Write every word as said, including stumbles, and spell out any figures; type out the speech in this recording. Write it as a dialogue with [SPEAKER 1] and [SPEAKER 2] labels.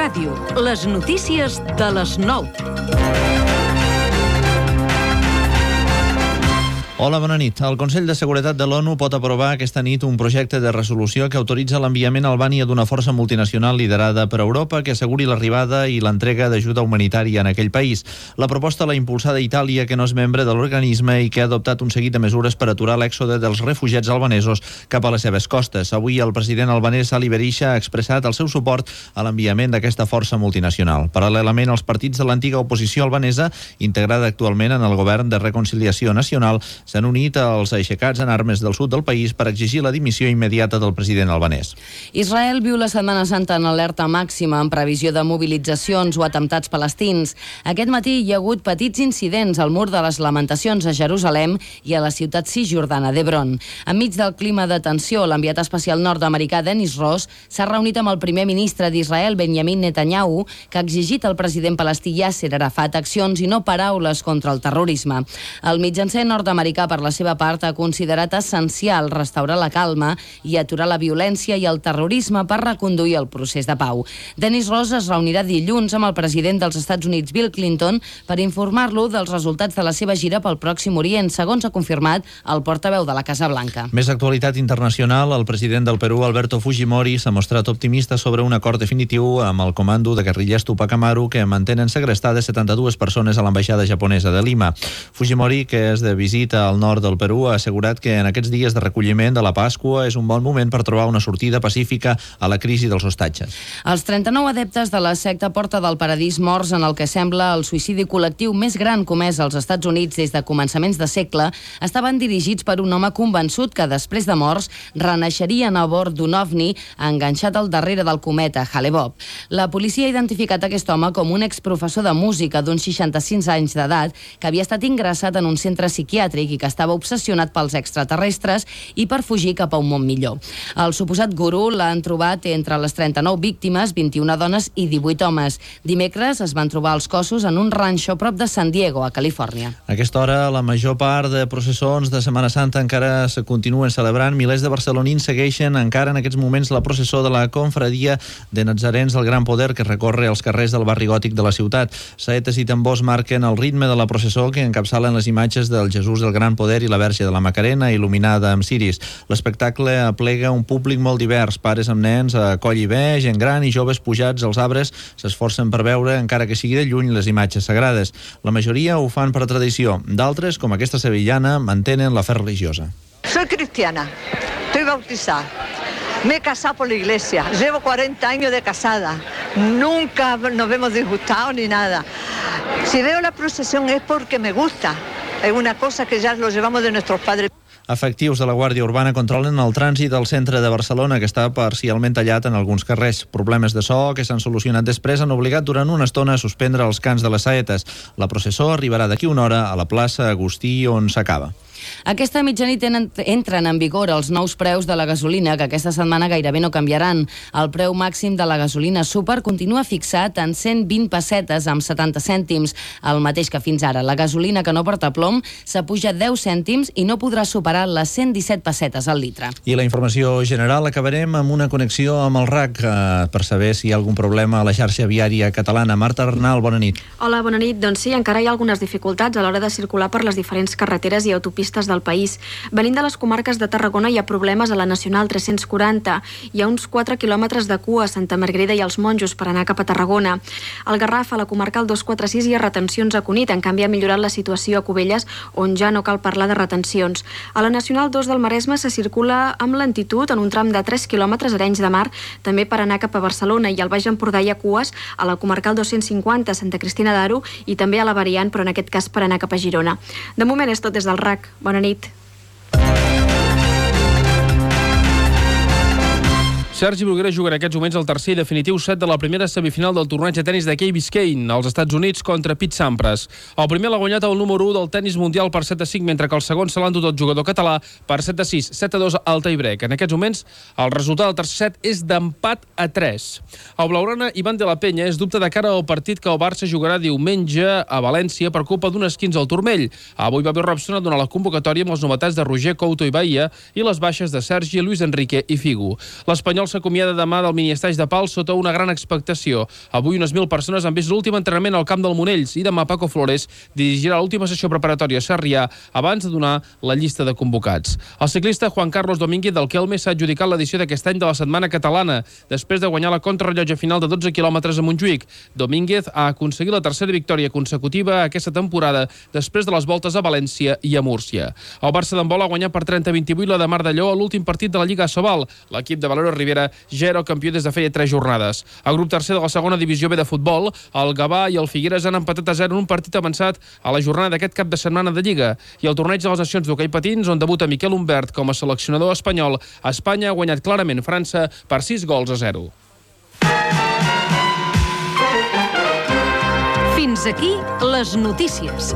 [SPEAKER 1] Ràdio, les notícies de les nou.
[SPEAKER 2] Hola, bona nit. El Consell de Seguretat de l'ONU pot aprovar aquesta nit un projecte de resolució que autoritza l'enviament a Albània d'una força multinacional liderada per Europa que asseguri l'arribada i l'entrega d'ajuda humanitària en aquell país. La proposta l'ha impulsada Itàlia, que no és membre de l'organisme i que ha adoptat un seguit de mesures per aturar l'èxode dels refugiats albanesos cap a les seves costes. Avui el president albanès Ali Berisha ha expressat el seu suport a l'enviament d'aquesta força multinacional. Paral·lelament, els partits de l'antiga oposició albanesa, integrada actualment en el govern de reconciliació nacional, s'han unit als aixecats en armes del sud del país per exigir la dimissió immediata del president albanès.
[SPEAKER 3] Israel viu la Setmana Santa en alerta màxima en previsió de mobilitzacions o atemptats palestins. Aquest matí hi ha hagut petits incidents al mur de les Lamentacions a Jerusalem i a la ciutat cisjordana d'Hebron. Enmig del clima de tensió, l'enviat especial nord-americà Dennis Ross s'ha reunit amb el primer ministre d'Israel, Benjamin Netanyahu, que ha exigit al president palestí Yasser Arafat accions i no paraules contra el terrorisme. El mitjancer nord-americà, per la seva part, ha considerat essencial restaurar la calma i aturar la violència i el terrorisme per reconduir el procés de pau. Dennis Ross es reunirà dilluns amb el president dels Estats Units, Bill Clinton, per informar-lo dels resultats de la seva gira pel Pròxim Orient, segons ha confirmat el portaveu de la Casa Blanca.
[SPEAKER 2] Més actualitat internacional. El president del Perú, Alberto Fujimori, s'ha mostrat optimista sobre un acord definitiu amb el comando de guerrillers Tupac Amaru, que mantenen segrestades setanta-dues persones a l'ambaixada japonesa de Lima. Fujimori, que és de visita al nord del Perú, ha assegurat que en aquests dies de recolliment de la Pasqua és un bon moment per trobar una sortida pacífica a la crisi dels hostatges.
[SPEAKER 3] Els trenta-nou adeptes de la secta Porta del Paradís, morts en el que sembla el suïcidi col·lectiu més gran comès als Estats Units des de començaments de segle, estaven dirigits per un home convençut que després de morts renaixerien a bord d'un ovni enganxat al darrere del cometa Hale-Bopp. La policia ha identificat aquest home com un exprofessor de música d'uns seixanta-sis anys d'edat que havia estat ingressat en un centre psiquiàtric i que estava obsessionat pels extraterrestres i per fugir cap a un món millor. El suposat gurú l'han trobat entre les trenta-nou víctimes, vint-i-una dones i divuit homes. Dimecres es van trobar els cossos en un ranxo prop de San Diego, a Califòrnia.
[SPEAKER 2] A aquesta hora, la major part de processons de Setmana Santa encara se continuen celebrant. Milers de barcelonins segueixen encara en aquests moments la processó de la confraria de Natzarens del Gran Poder que recorre els carrers del barri gòtic de la ciutat. Saetes i tambors marquen el ritme de la processó que encapçalen les imatges del Jesús del Gran Poder i la Verge de la Macarena il·luminada amb ciris. L'espectacle aplega un públic molt divers, pares amb nens a coll i bé, gent gran i joves pujats als arbres s'esforcen per veure, encara que sigui de lluny, les imatges sagrades. La majoria ho fan per tradició. D'altres, com aquesta sevillana, mantenen la fe religiosa.
[SPEAKER 4] Soy cristiana, estoy bautizada. Me he casado por la iglesia, llevo cuarenta años de casada, nunca nos vemos disgustados ni nada. Si veo la procesión es porque me gusta. Es una cosa que ya lo llevamos de nuestros padres.
[SPEAKER 2] Efectius de la Guàrdia Urbana controlen el trànsit al centre de Barcelona, que està parcialment tallat en alguns carrers. Problemes de so que s'han solucionat després han obligat durant una estona a suspendre els cants de les saetes. La processó arribarà d'aquí una hora a la plaça Agustí, on s'acaba.
[SPEAKER 3] Aquesta mitjanit entren en vigor els nous preus de la gasolina, que aquesta setmana gairebé no canviaran. El preu màxim de la gasolina súper continua fixat en cent vint pessetes amb setanta cèntims, el mateix que fins ara. La gasolina que no porta plom s'apuja deu cèntims i no podrà superar les cent disset pessetes al litre.
[SPEAKER 2] I la informació general acabarem amb una connexió amb el R A C eh, per saber si hi ha algun problema a la xarxa viària catalana. Marta Arnal, bona nit.
[SPEAKER 5] Hola, bona nit. Doncs sí, encara hi ha algunes dificultats a l'hora de circular per les diferents carreteres i autopistes del país. Venint de les comarques de Tarragona hi ha problemes a la Nacional tres-cents quaranta. Hi ha uns quatre quilòmetres de cua a Santa Margarida i als Monjos per anar cap a Tarragona. Al Garraf, a la comarcal dos quatre sis, hi ha retencions a Cunit. En canvi, ha millorat la situació a Cubelles, on ja no cal parlar de retencions. A la Nacional dos del Maresme se circula amb lentitud en un tram de tres quilòmetres a Arenys de Mar, també per anar cap a Barcelona, i al Baix Empordà hi ha cues a la comarcal dos-cents cinquanta, Santa Cristina d'Aro, i també a la variant, però en aquest cas per anar cap a Girona. De moment és tot des del R A C. Bona nit.
[SPEAKER 6] Sergi Bruguera juga en aquests moments el tercer i definitiu set de la primera semifinal del torneig de tenis de Key Biscayne als Estats Units contra Pete Sampras. El primer l'ha guanyat el número u del tenis mundial per set a cinc, mentre que el segon se l'ha endut el jugador català per set a sis, set a dos al tie-break. En aquests moments, el resultat del tercer set és d'empat a tres. El blaugrana Ivan de la Peña és dubte de cara al partit que el Barça jugarà diumenge a València per culpa d'un esquinç al turmell. Avui Bobby Robson ha donat la convocatòria amb les novetats de Roger Couto i Bahia i les baixes de Sergi, Luis Enrique i Figo. L'Espanyol Espanyol s'acomiada demà del miniestaix de Pals sota una gran expectació. Avui unes mil persones han vist l'últim entrenament al camp del Monells i demà Paco Flores dirigirà l'última sessió preparatòria a Sarrià abans de donar la llista de convocats. El ciclista Juan Carlos Domínguez del Kelme s'ha adjudicat l'edició d'aquest any de la Setmana Catalana després de guanyar la contrarellotge final de dotze quilòmetres a Montjuïc. Domínguez ha aconseguit la tercera victòria consecutiva aquesta temporada després de les voltes a València i a Múrcia. El Barça d'handbol ha guanyat per trenta a vint-i-vuit la de Mar d'Alló a l'últim partit de la Lliga Sobal. L'equip de Valero Rivera ja era el campió des de feia tres jornades. Al grup tercer de la segona divisió B de futbol, el Gavà i el Figueres han empatat a zero en un partit avançat a la jornada d'aquest cap de setmana de Lliga. I el torneig de les nacions d'hoquei patins, on debuta Miquel Humbert com a seleccionador espanyol, Espanya ha guanyat clarament França per sis gols a zero.
[SPEAKER 1] Fins aquí les notícies.